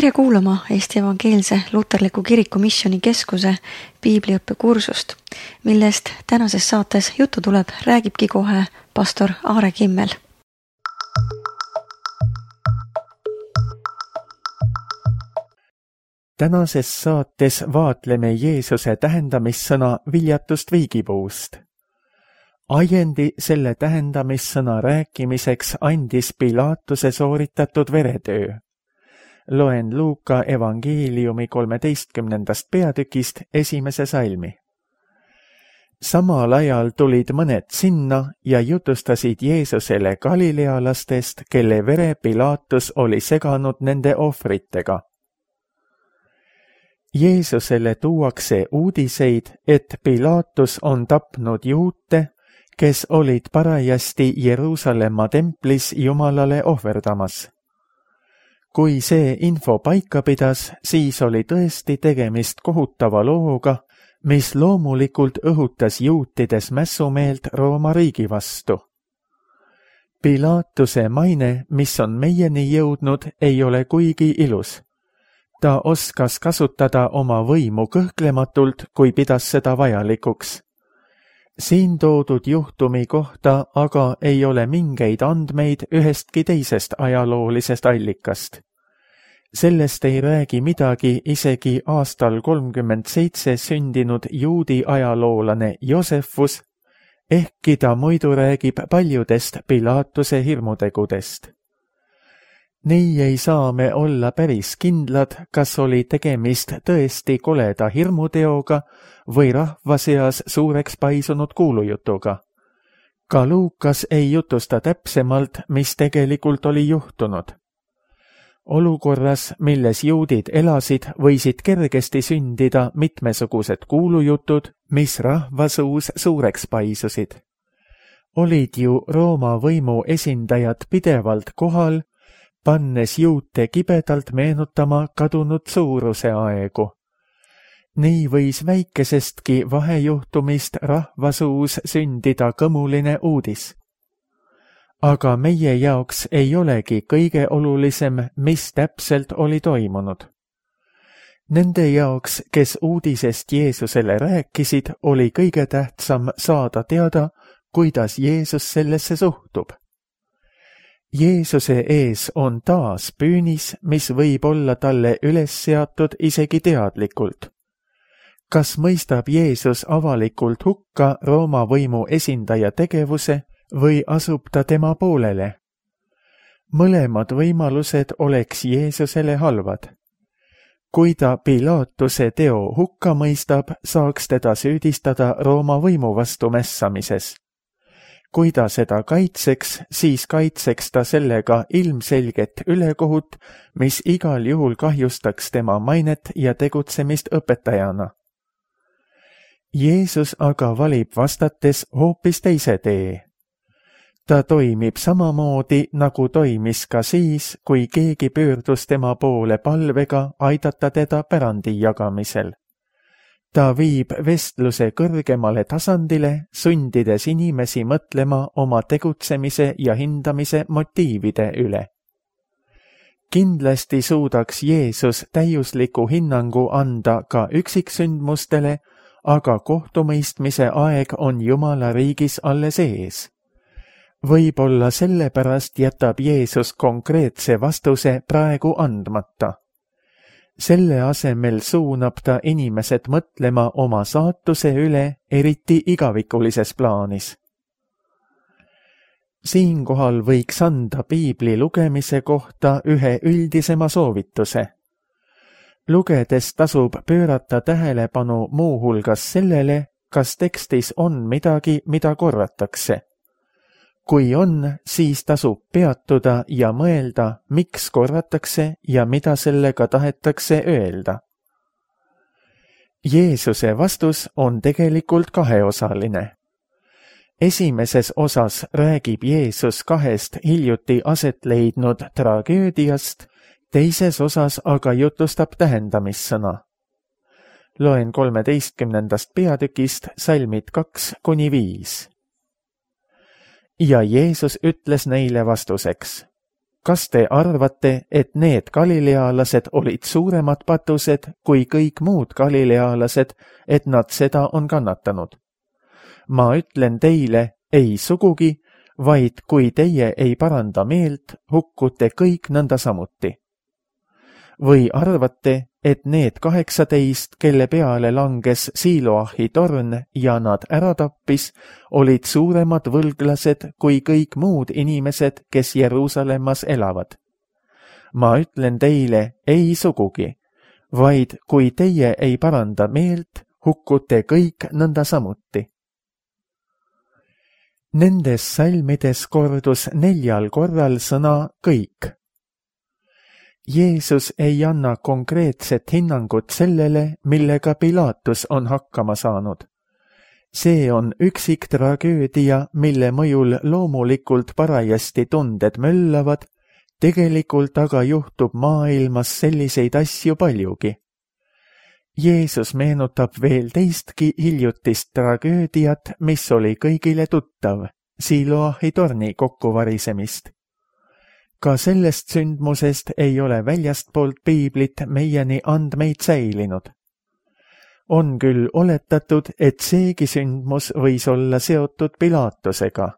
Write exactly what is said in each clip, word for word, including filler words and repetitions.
tere kuulama Eesti Evangeelse Luterliku Kiriku Missioni Keskuse piibliõppekursust, millest tänases saates juttu tuleb, räägibki kohe pastor Aare Kimmel. Tänases saates vaatleme Jeesuse tähendamissõna viljatust viigipuust. Ajendi selle tähendamissõna rääkimiseks andis Pilaatuse sooritatud veretöö. Loen Luuka evangeeliumi kolmeteistkümnendast peatükist esimese salmi. Samal ajal tulid mõned sinna ja jutustasid Jeesusele galilealastest, kelle vere Pilaatus oli seganud nende ohvritega. Jeesusele tuuakse uudiseid, et Pilaatus on tapnud juute, kes olid parajasti Jeruusalemma templis Jumalale ohverdamas. Kui see info paika pidas, siis oli tõesti tegemist kohutava looga, mis loomulikult õhutas juutides mässumeelt Rooma riigi vastu. Pilaatuse maine, mis on meieni jõudnud, ei ole kuigi ilus. Ta oskas kasutada oma võimu kõhklematult, kui pidas seda vajalikuks. Siin toodud juhtumi kohta aga ei ole mingeid andmeid ühestki teisest ajaloolisest allikast. Sellest ei räägi midagi isegi aastal kolmkümmend seitse sündinud juudi ajaloolane Josefus, ehkki ta muidu räägib paljudest Pilaatuse hirmutegudest. Nii ei saa me olla päris kindlad, kas oli tegemist tõesti koleda hirmuteoga või rahva seas suureks paisunud kuulujutuga. Ka Luukas ei jutusta täpsemalt, mis tegelikult oli juhtunud. Olukorras, milles juudid elasid, võisid kergesti sündida mitmesugused kuulujutud, mis rahva suus suureks paisusid. Olid ju Rooma võimu esindajad pidevalt kohal, pannes juute kibedalt meenutama kadunud suuruse aegu. Nii võis väikesestki vahejuhtumist rahva suus sündida kõmuline uudis. Aga meie jaoks ei olegi kõige olulisem, mis täpselt oli toimunud. Nende jaoks, kes uudisest Jeesusele rääkisid, oli kõige tähtsam saada teada, kuidas Jeesus sellesse suhtub. Jeesuse ees on taas püünis, mis võib olla talle üles seatud isegi teadlikult. Kas mõistab Jeesus avalikult hukka Rooma võimu esindaja tegevuse või asub ta tema poolele? Mõlemad võimalused oleks Jeesusele halvad. Kui ta Pilaatuse teo hukka mõistab, saaks teda süüdistada Rooma võimu vastu mässamises. Kui ta seda kaitseks, siis kaitseks ta sellega ilmselget ülekohut, mis igal juhul kahjustaks tema mainet ja tegutsemist õpetajana. Jeesus aga valib vastates hoopis teise tee. Ta toimib samamoodi, nagu toimis ka siis, kui keegi pöördus tema poole palvega aidata teda pärandi jagamisel. Ta viib vestluse kõrgemale tasandile, sundides inimesi mõtlema oma tegutsemise ja hindamise motiivide üle. Kindlasti suudaks Jeesus täiusliku hinnangu anda ka üksiksündmustele, aga kohtumõistmise aeg on Jumala riigis alles ees. Võib-olla sellepärast jätab Jeesus konkreetse vastuse praegu andmata. Selle asemel suunab ta inimesed mõtlema oma saatuse üle, eriti igavikulises plaanis. Siinkohal võiks anda piibli lugemise kohta ühe üldisema soovituse. Lugedes tasub pöörata tähelepanu muuhulgas sellele, kas tekstis on midagi, mida korratakse. Kui on, siis tasub peatuda ja mõelda, miks korratakse ja mida sellega tahetakse öelda. Jeesuse vastus on tegelikult kaheosaline. Esimeses osas räägib Jeesus kahest hiljuti aset leidnud tragöödiast, teises osas aga jutustab tähendamissõna. Loen kolmeteistkümnendast peatükist salmid kaks kuni viis. Ja Jeesus ütles neile vastuseks: kas te arvate, et need galilealased olid suuremad patused kui kõik muud galilealased, et nad seda on kannatanud? Ma ütlen teile, ei sugugi, vaid kui teie ei paranda meelt, hukkute kõik nõnda samuti. Või arvate, et need kaheksateist, kelle peale langes Siloahi torn ja nad ära tappis, olid suuremad võlglased kui kõik muud inimesed, kes Jeruusalemmas elavad? Ma ütlen teile, ei sugugi, vaid kui teie ei paranda meelt, hukkute kõik nõnda samuti. Nendes salmides kordus neljal korral sõna kõik. Jeesus ei anna konkreetset hinnangut sellele, millega Pilatus on hakkama saanud. See on üksik tragöödia, mille mõjul loomulikult parajasti tunded möllavad, tegelikult aga juhtub maailmas selliseid asju paljugi. Jeesus meenutab veel teistki hiljutist tragöödiat, mis oli kõigile tuttav, Siloahi torni kokkuvarisemist. Ka sellest sündmusest ei ole väljastpoolt piiblit meieni andmeid säilinud. On küll oletatud, et seegi sündmus võis olla seotud Pilatusega.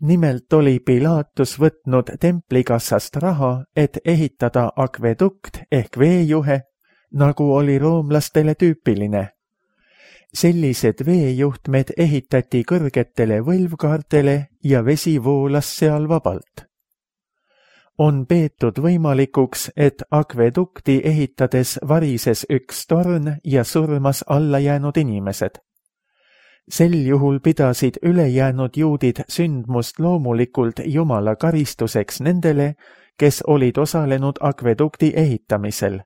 Nimelt oli Pilatus võtnud templikassast raha, et ehitada akvedukt ehk veejuhe, nagu oli roomlastele tüüpiline. Sellised veejuhtmed ehitati kõrgetele võlvkaartele ja vesi voolas seal vabalt. On peetud võimalikuks, et akvedukti ehitades varises üks torn ja surmas alla jäänud inimesed. Sel juhul pidasid ülejäänud juudid sündmust loomulikult Jumala karistuseks nendele, kes olid osalenud akvedukti ehitamisel.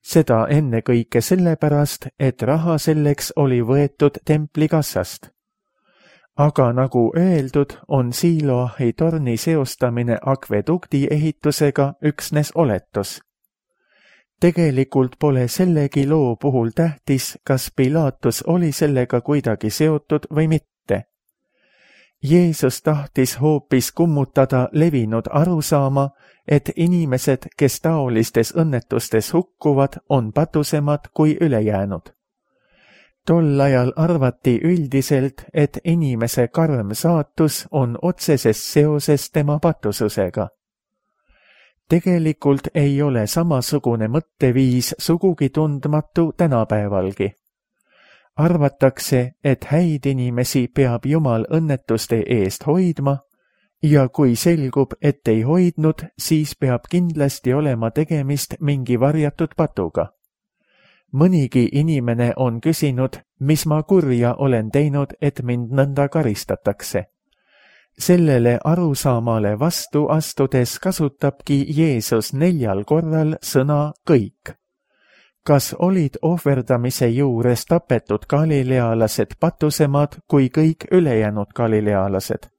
Seda ennekõike sellepärast, et raha selleks oli võetud templikassast. Aga nagu öeldud, on Siloahi torni seostamine akvedukti ehitusega üksnes oletus. Tegelikult pole sellegi loo puhul tähtis, kas Pilatus oli sellega kuidagi seotud või mitte. Jeesus tahtis hoopis kummutada levinud arusaama, et inimesed, kes taolistes õnnetustes hukkuvad, on patusemad kui ülejäänud. Tol ajal arvati üldiselt, et inimese karm saatus on otseses seoses tema patususega. Tegelikult ei ole samasugune mõtteviis sugugi tundmatu tänapäevalgi. Arvatakse, et häid inimesi peab Jumal õnnetuste eest hoidma ja kui selgub, et ei hoidnud, siis peab kindlasti olema tegemist mingi varjatud patuga. Mõnigi inimene on küsinud, mis ma kurja olen teinud, et mind nõnda karistatakse. Sellele arusaamale vastu astudes kasutabki Jeesus neljal korral sõna kõik. Kas olid ohverdamise juures tapetud galilealased patusemad kui kõik ülejäänud galilealased?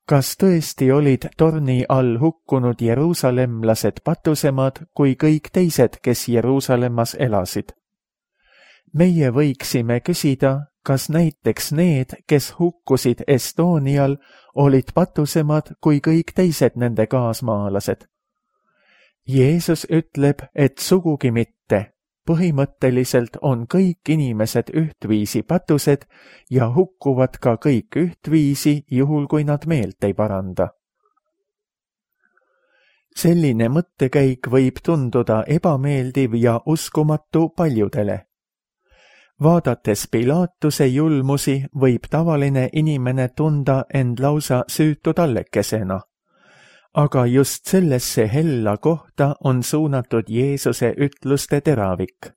Kas tõesti olid torni all hukkunud jeruusalemlased patusemad kui kõik teised, kes Jeruusalemmas elasid? Meie võiksime küsida, kas näiteks need, kes hukkusid Estonial, olid patusemad kui kõik teised nende kaasmaalased? Jeesus ütleb, et sugugi mitte. Põhimõtteliselt on kõik inimesed ühtviisi patused ja hukkuvad ka kõik ühtviisi, juhul kui nad meelt ei paranda. Selline mõttekäik võib tunduda ebameeldiv ja uskumatu paljudele. Vaadates Pilatuse julmusi, võib tavaline inimene tunda end lausa süütu tallekesena. Aga just sellesse hella kohta on suunatud Jeesuse ütluste teravik.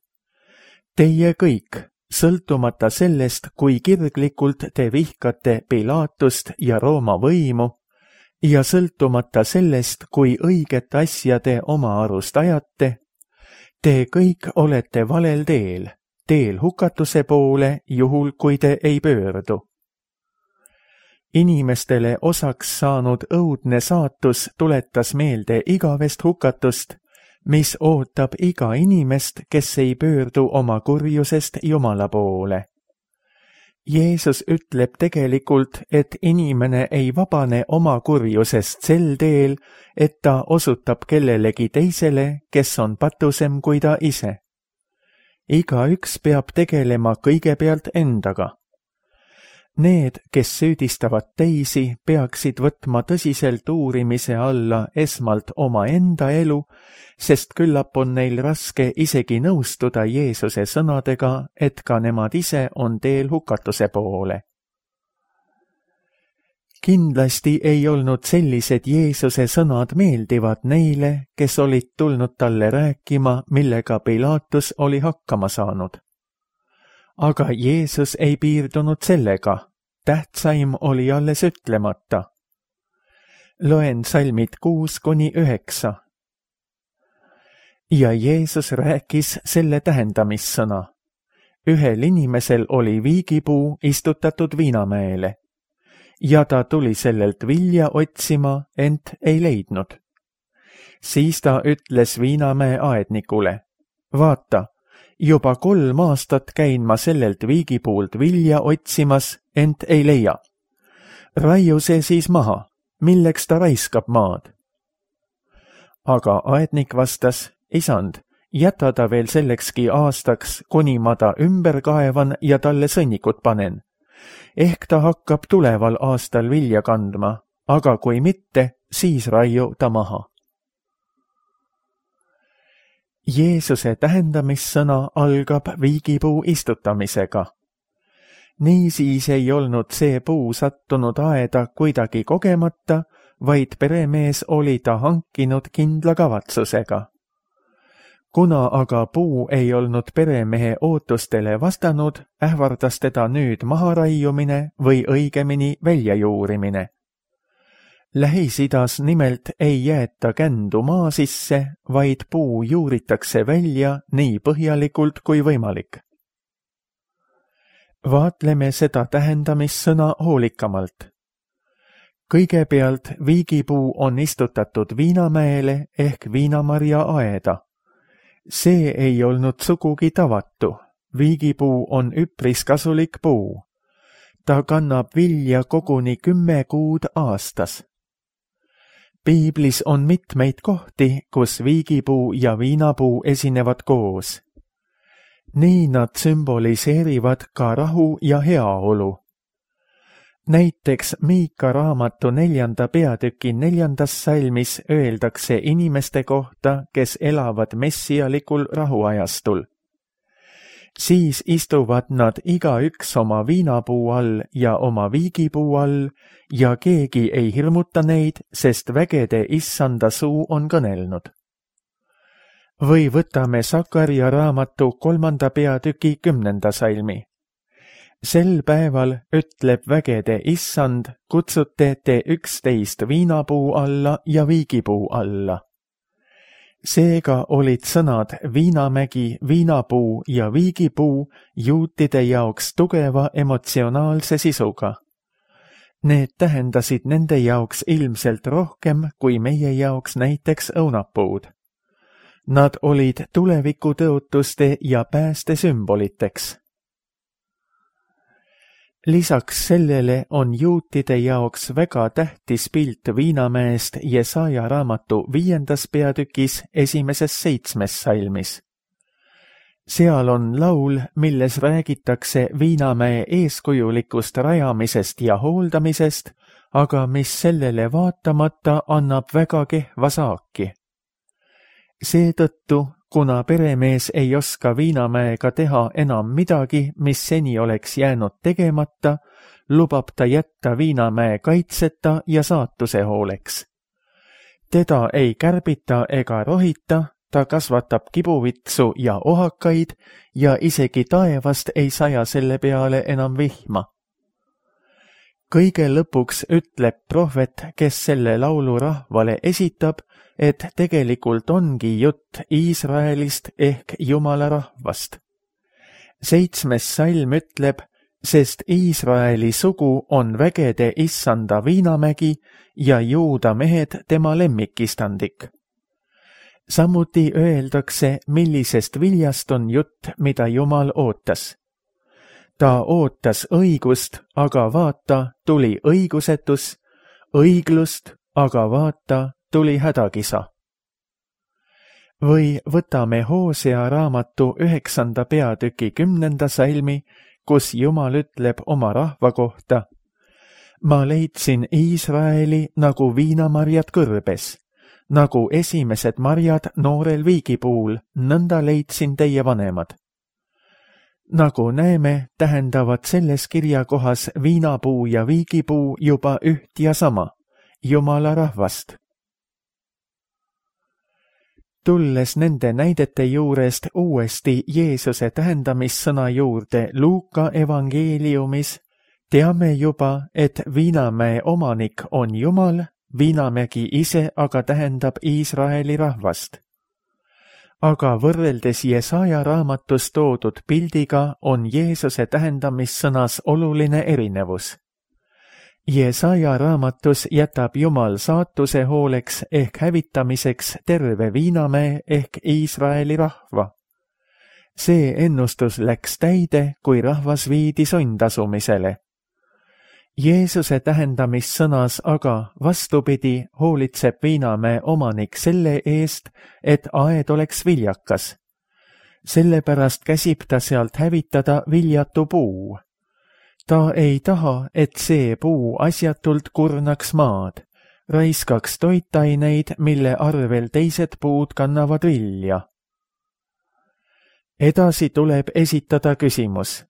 Teie kõik, sõltumata sellest, kui kirglikult te vihkate Pilatust ja Rooma võimu, ja sõltumata sellest, kui õiget asja te oma arust ajate, te kõik olete valel teel, teel hukatuse poole, juhul kui te ei pöördu. Inimestele osaks saanud õudne saatus tuletas meelde igavest hukatust, mis ootab iga inimest, kes ei pöördu oma kurjusest Jumala poole. Jeesus ütleb tegelikult, et inimene ei vabane oma kurjusest sel teel, et ta osutab kellelegi teisele, kes on patusem kui ta ise. Igaüks peab tegelema kõigepealt endaga. Need, kes süüdistavad teisi, peaksid võtma tõsiselt uurimise alla esmalt oma enda elu, sest küllap on neil raske isegi nõustuda Jeesuse sõnadega, et ka nemad ise on teel hukatuse poole. Kindlasti ei olnud sellised Jeesuse sõnad meeldivad neile, kes olid tulnud talle rääkima, millega Pilatus oli hakkama saanud. Aga Jeesus ei piirdunud sellega. Tähtsaim oli alles ütlemata. Loen salmid kuus kuni üheksa. Ja Jeesus rääkis selle tähendamissõna. Ühel inimesel oli viigipuu istutatud viinamäele. Ja ta tuli sellelt vilja otsima, ent ei leidnud. Siis ta ütles viinamäe aednikule, vaata, juba kolm aastat käin ma sellelt viigipuult vilja otsimas, ent ei leia. Raiu see siis maha, milleks ta raiskab maad? Aga aednik vastas, isand, jäta ta veel sellekski aastaks, kuni ma ta ümber kaevan ja talle sõnnikut panen. Ehk ta hakkab tuleval aastal vilja kandma, aga kui mitte, siis raiu ta maha. Jeesuse tähendamissõna algab viigipuu istutamisega. Niisiis ei olnud see puu sattunud aeda kuidagi kogemata, vaid peremees oli ta hankinud kindla kavatsusega. Kuna aga puu ei olnud peremehe ootustele vastanud, ähvardas teda nüüd maharaiumine või õigemini väljajuurimine. Lähis-Idas nimelt ei jäeta kändu maa sisse, vaid puu juuritakse välja nii põhjalikult kui võimalik. Vaatleme seda tähendamissõna hoolikamalt. Kõigepealt viigipuu on istutatud viinamäele ehk viinamarja aeda. See ei olnud sugugi tavatu. Viigipuu on üpris kasulik puu. Ta kannab vilja koguni kümme kuud aastas. Piiblis on mitmeid kohti, kus viigipuu ja viinapuu esinevad koos. Nii nad sümboliseerivad ka rahu ja heaolu. Näiteks Miika raamatu neljanda peatüki neljandas salmis öeldakse inimeste kohta, kes elavad messialikul rahuajastul. Siis istuvad nad igaüks oma viinapuu all ja oma viigipuu all ja keegi ei hirmuta neid, sest vägede issanda suu on kõnelnud. Või võtame Sakarja raamatu kolmanda peatüki kümnenda salmi. Sel päeval ütleb vägede issand, kutsute te üksteist viinapuu alla ja viigipuu alla. Seega olid sõnad viinamägi, viinapuu ja viigipuu juutide jaoks tugeva emotsionaalse sisuga. Need tähendasid nende jaoks ilmselt rohkem kui meie jaoks näiteks õunapuud. Nad olid tulevikutõotuste ja pääste sümboliteks. Lisaks sellele on juutide jaoks väga tähtis pilt viinamäest Jesaja raamatu viiendas peatükis esimeses seitsmes salmis. Seal on laul, milles räägitakse viinamäe eeskujulikust rajamisest ja hooldamisest, aga mis sellele vaatamata annab väga kehva saaki. Seetõttu, kuna peremees ei oska viinamäega teha enam midagi, mis seni oleks jäänud tegemata, lubab ta jätta viinamäe kaitseta ja saatuse hooleks. Teda ei kärbita ega rohita, ta kasvatab kibuvitsu ja ohakaid ja isegi taevast ei saja selle peale enam vihma. Kõige lõpuks ütleb prohvet, kes selle laulu rahvale esitab, et tegelikult ongi jutt Iisraelist ehk Jumala rahvast. Seitsmes salm ütleb, sest Iisraeli sugu on vägede issanda viinamägi ja juuda mehed tema lemmikistandik. Samuti öeldakse, millisest viljast on jutt, mida Jumal ootas. ta ootas õigust, aga vaata, tuli õigusetus, õiglust, aga vaata, tuli hädakisa. Või võtame Hoosea raamatu üheksanda peatüki kümnenda salmi, kus Jumal ütleb oma rahva kohta: ma leidsin Iisraeli nagu viinamarjad kõrbes, nagu esimesed marjad noorel viigipuul, nõnda leidsin teie vanemad. Nagu näeme, tähendavad selles kirjakohas viinapuu ja viigipuu juba üht ja sama, Jumala rahvast. Tulles nende näidete juurest uuesti Jeesuse tähendamissõna juurde Luuka evangeeliumis, teame juba, et Viinamäe omanik on Jumal, Viinamägi ise aga tähendab Iisraeli rahvast. Aga võrreldes Jesaja raamatus toodud pildiga on Jeesuse tähendamissõnas oluline erinevus. Jesaja raamatus jätab Jumal saatuse hooleks ehk hävitamiseks terve Viinamäe ehk Iisraeli rahva. See ennustus läks täide, kui rahvas viidi sundasumisele. Jeesuse tähendamissõnas aga vastupidi hoolitseb Viinamäe omanik selle eest, et aed oleks viljakas. Sellepärast käsib ta sealt hävitada viljatu puu. Ta ei taha, et see puu asjatult kurnaks maad, raiskaks toitaineid, mille arvel teised puud kannavad vilja. Edasi tuleb esitada küsimus.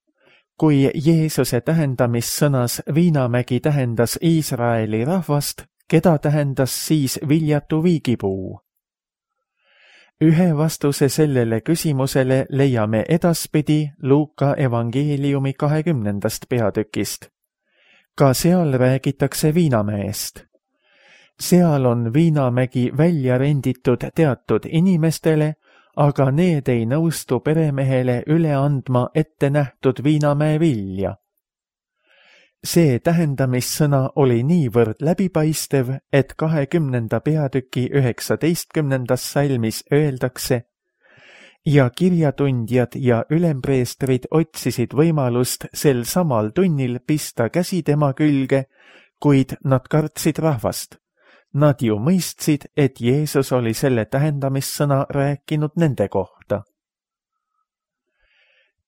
Kui Jeesuse tähendamissõnas Viinamägi tähendas Iisraeli rahvast, keda tähendas siis viljatu viigipuu? Ühe vastuse sellele küsimusele leiame edaspidi Luuka evangeeliumi kahekümnendast peatükist. Ka seal räägitakse Viinamäest. Seal on Viinamägi välja renditud teatud inimestele, aga need ei nõustu peremehele üle andma ette nähtud Viinamäe vilja. See tähendamissõna oli niivõrd läbipaistev, et kahekümnenda peatüki üheksateistkümnendas salmis öeldakse: ja kirjatundjad ja ülempreestrid otsisid võimalust sel samal tunnil pista käsi tema külge, kuid nad kartsid rahvast. Nad ju mõistsid, et Jeesus oli selle tähendamissõna rääkinud nende kohta.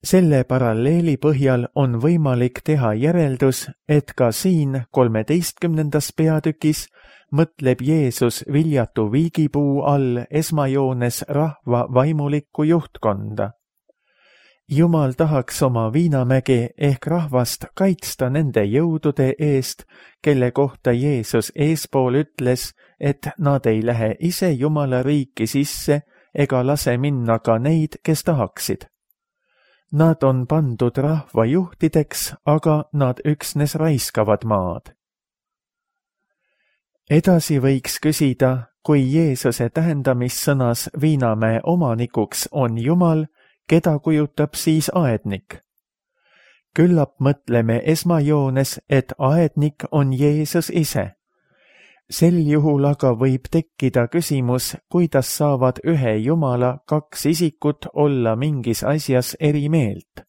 Selle paralleeli põhjal on võimalik teha järeldus, et ka siin kolmeteistkümnendas peatükis mõtleb Jeesus viljatu viigipuu all esmajoones rahva vaimulikku juhtkonda. Jumal tahaks oma Viinamäge ehk rahvast kaitsta nende jõudude eest, kelle kohta Jeesus eespool ütles, et nad ei lähe ise Jumala riiki sisse ega lase minna ka neid, kes tahaksid. Nad on pandud rahva juhtideks, aga nad üksnes raiskavad maad. Edasi võiks küsida, kui Jeesuse tähendamissõnas Viinamäe omanikuks on Jumal, keda kujutab siis aednik? Küllap mõtleme esmajoones, et aednik on Jeesus ise. Sel juhul aga võib tekkida küsimus, kuidas saavad ühe Jumala kaks isikut olla mingis asjas eri meelt.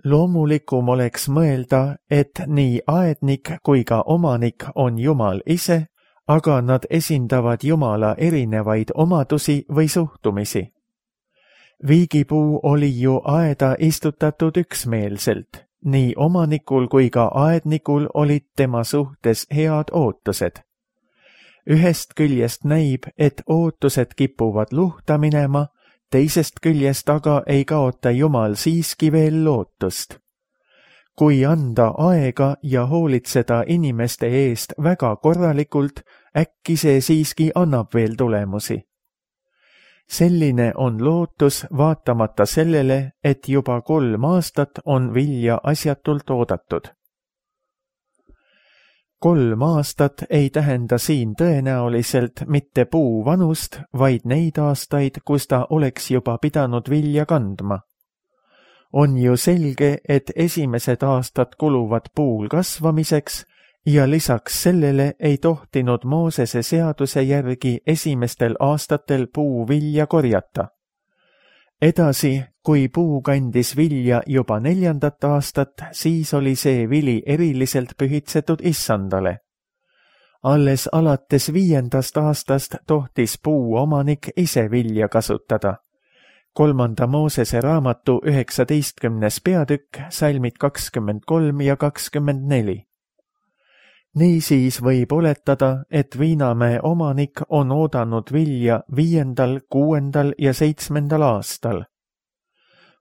Loomulikum oleks mõelda, et nii aednik kui ka omanik on Jumal ise, aga nad esindavad Jumala erinevaid omadusi või suhtumisi. Viigipuu oli ju aeda istutatud üksmeelselt. Nii omanikul kui ka aednikul olid tema suhtes head ootused. Ühest küljest näib, et ootused kipuvad luhta minema, teisest küljest aga ei kaota Jumal siiski veel lootust. Kui anda aega ja hoolitseda inimeste eest väga korralikult, äkki see siiski annab veel tulemusi. Selline on lootus vaatamata sellele, et juba kolm aastat on vilja asjatult oodatud. Kolm aastat ei tähenda siin tõenäoliselt mitte puu vanust, vaid neid aastaid, kus ta oleks juba pidanud vilja kandma. On ju selge, et esimesed aastad kuluvad puul kasvamiseks, ja lisaks sellele ei tohtinud Moosese seaduse järgi esimestel aastatel puu vilja korjata. edasi, kui puu kandis vilja juba neljandat aastat, siis oli see vili eriliselt pühitsetud issandale. Alles alates viiendast aastast tohtis puu omanik ise vilja kasutada. kolmanda Moosese raamatu üheksateistkümnes peatükk, salmid kakskümmend kolm ja kakskümmend neli. Niisiis võib oletada, et Viinamäe omanik on oodanud vilja viiendal, kuuendal ja seitsmendal aastal.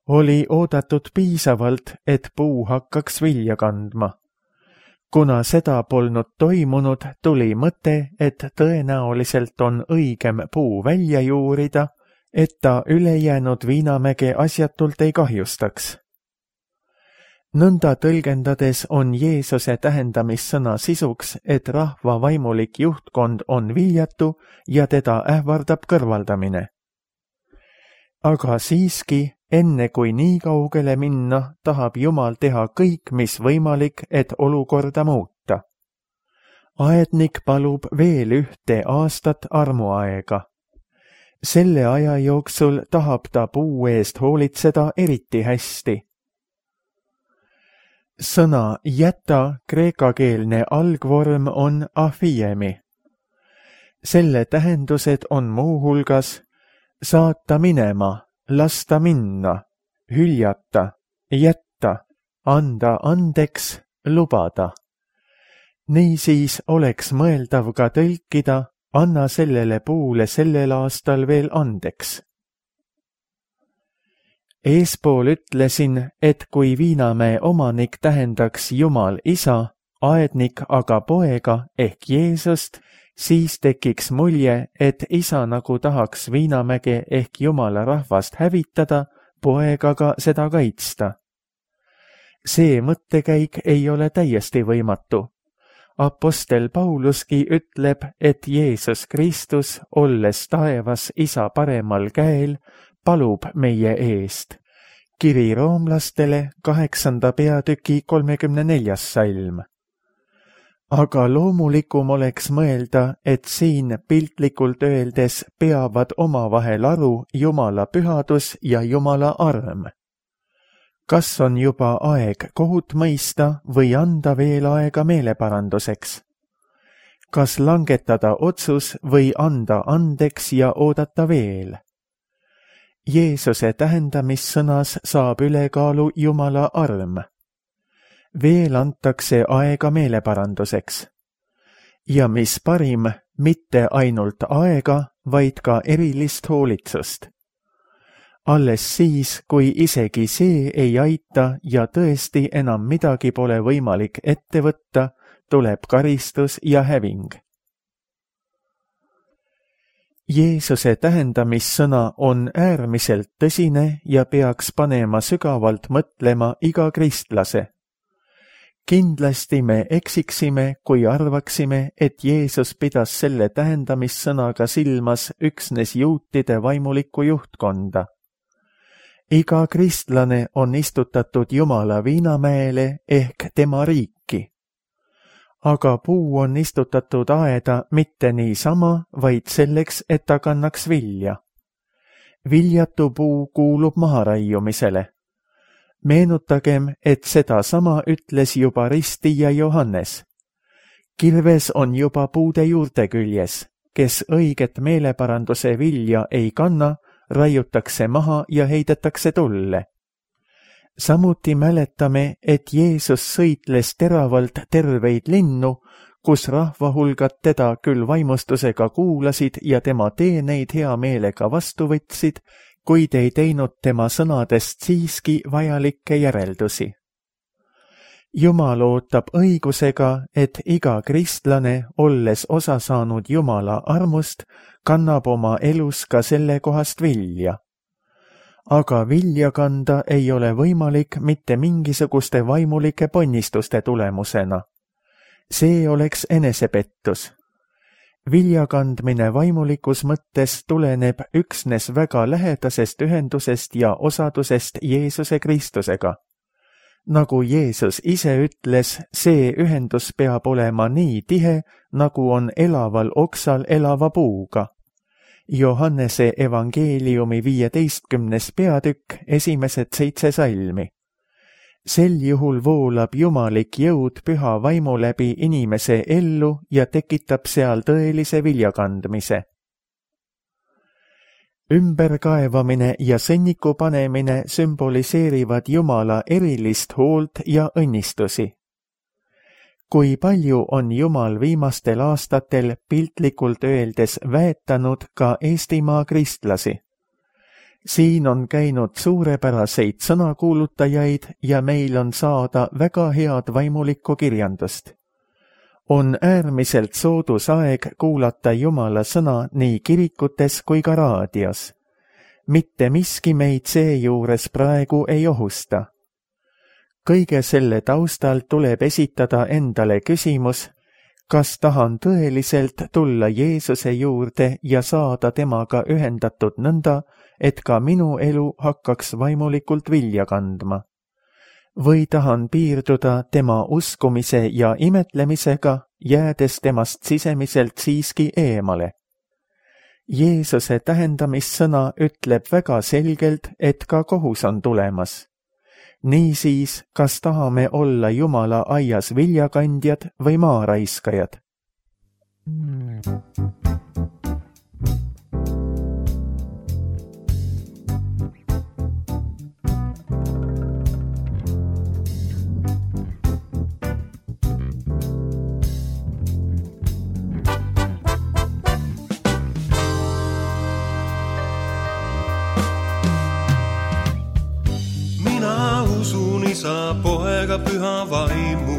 Oli oodatud piisavalt, et puu hakkaks vilja kandma. Kuna seda polnud toimunud, tuli mõte, et tõenäoliselt on õigem puu välja juurida, et ta ülejäänud Viinamäge asjatult ei kahjustaks. Nõnda tõlgendades on Jeesuse tähendamissõna sisuks, et rahva vaimulik juhtkond on viljatu ja teda ähvardab kõrvaldamine. Aga siiski, enne kui nii kaugele minna, tahab Jumal teha kõik, mis võimalik, et olukorda muuta. Aednik palub veel ühte aastat armuaega. Selle aja jooksul tahab ta puu eest hoolitseda eriti hästi. Sõna jäta kreekakeelne algvorm on afiemi. Selle tähendused on muuhulgas saata minema, lasta minna, hüljata, jätta, anda andeks, lubada. Niisiis oleks mõeldav ka tõlkida, anna sellele puule sellel aastal veel andeks. Eespool ütlesin, et kui Viinamäe omanik tähendaks Jumal isa, aednik aga poega ehk Jeesust, siis tekiks mulje, et isa nagu tahaks Viinamäge ehk Jumala rahvast hävitada, poeg aga seda kaitsta. See mõttekäik ei ole täiesti võimatu. Apostel Pauluski ütleb, et Jeesus Kristus, olles taevas isa paremal käel, palub meie eest. Kiri roomlastele kaheksanda peatüki kolmekümne neljas salm. Aga loomulikum oleks mõelda, et siin piltlikult öeldes peavad omavahel aru Jumala pühadus ja Jumala arm. Kas on juba aeg kohut mõista või anda veel aega meeleparanduseks? Kas langetada otsus või anda andeks ja oodata veel? Jeesuse tähendamissõnas saab ülekaalu Jumala arm. Veel antakse aega meeleparanduseks. Ja mis parim, mitte ainult aega, vaid ka erilist hoolitsust. Alles siis, kui isegi see ei aita ja tõesti enam midagi pole võimalik ette võtta, tuleb karistus ja häving. Jeesuse tähendamissõna on äärmiselt tõsine ja peaks panema sügavalt mõtlema iga kristlase. Kindlasti me eksiksime, kui arvaksime, et Jeesus pidas selle tähendamissõnaga silmas üksnes juutide vaimulikku juhtkonda. Iga kristlane on istutatud Jumala Viinamäele ehk tema riiki. Aga puu on istutatud aeda mitte niisama, vaid selleks, et ta kannaks vilja. Viljatu puu kuulub maharaiumisele. Meenutagem, et seda sama ütles juba ristija Johannes. Kirves on juba puude juurte küljes, kes õiget meeleparanduse vilja ei kanna, raiutakse maha ja heidetakse tulle. Samuti mäletame, et Jeesus sõitles teravalt terveid linnu, kus rahvahulgad teda küll vaimustusega kuulasid ja tema teeneid hea meelega vastu võtsid, kuid ei teinud tema sõnadest siiski vajalikke järeldusi. Jumal ootab õigusega, et iga kristlane, olles osa saanud Jumala armust, kannab oma elus ka selle kohast vilja. Aga vilja kanda ei ole võimalik mitte mingisuguste vaimulike ponnistuste tulemusena. See oleks enesepettus. Vilja kandmine vaimulikus mõttes tuleneb üksnes väga lähedasest ühendusest ja osadusest Jeesuse Kristusega. Nagu Jeesus ise ütles, see ühendus peab olema nii tihe, nagu on elaval oksal elava puuga. Johannese evangeeliumi viieteistkümnes peatükk, esimesed seitse salmi. Sel juhul voolab jumalik jõud püha vaimu läbi inimese ellu ja tekitab seal tõelise viljakandmise. Ümberkaevamine ja sõnniku panemine sümboliseerivad Jumala erilist hoolt ja õnnistusi. Kui palju on Jumal viimastel aastatel piltlikult öeldes väetanud ka Eestimaa kristlasi. Siin on käinud suurepäraseid sõnakuulutajaid ja meil on saada väga head vaimulikku kirjandust. On äärmiselt soodus aeg kuulata Jumala sõna nii kirikutes kui ka raadios. Mitte miski meid seejuures praegu ei ohusta. Kõige selle taustal tuleb esitada endale küsimus, kas tahan tõeliselt tulla Jeesuse juurde ja saada temaga ühendatud nõnda, et ka minu elu hakkaks vaimulikult vilja kandma. Või tahan piirduda tema uskumise ja imetlemisega, jäädes temast sisemiselt siiski eemale. Jeesuse tähendamissõna ütleb väga selgelt, et ka kohus on tulemas. Niisiis, kas tahame olla Jumala aias viljakandjad või maaraiskajad? Isa, poega, püha vaimu.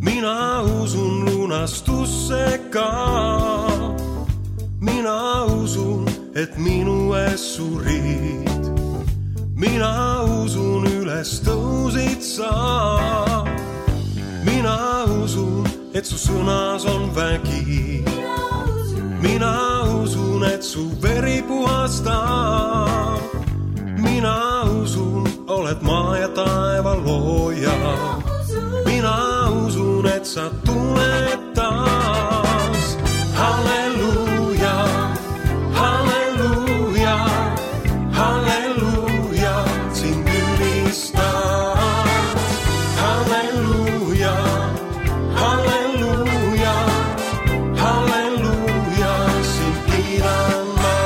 Mina usun lunastusse ka. Mina usun, et minu ees surid. Mina usun, üles tõusid sa. Mina usun, et su sõnas on vägi. Mina usun, et su veri puhastab. Mina usun, oled maa ja taeva looja. Mina usun, et sa tuled taas. Halleluuja, halleluuja, halleluuja, sind ülistan. Halleluuja, halleluuja, halleluuja, sind kiidan ma.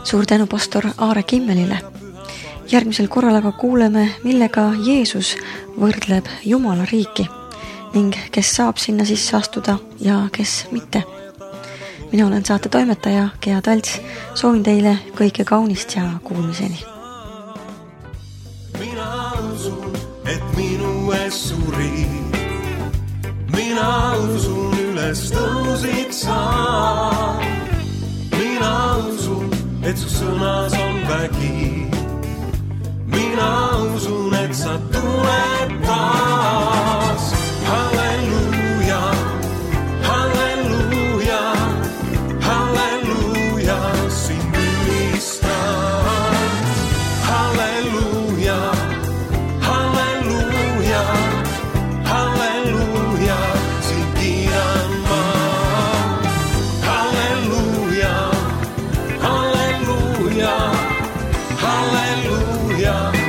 Suur tänu pastor Aare Kimmelile. Järgmisel korral aga kuuleme, millega Jeesus võrdleb Jumala riiki ning kes saab sinna sisse astuda ja kes mitte. Mina olen saate toimetaja Gea Talts. Soovin teile kõike kaunist ja kuulmiseni. Mina usun, et minu ees surid. Mina usun, üles tõusid sa. Mina usun, et su sõnas on vägi. Mina usun, et sa tuled taas. Halleluuja, halleluuja, halleluuja, sind ülistan. Halleluuja, halleluuja, halleluuja, sind kiidan ma. Halleluuja, halleluuja, halleluuja.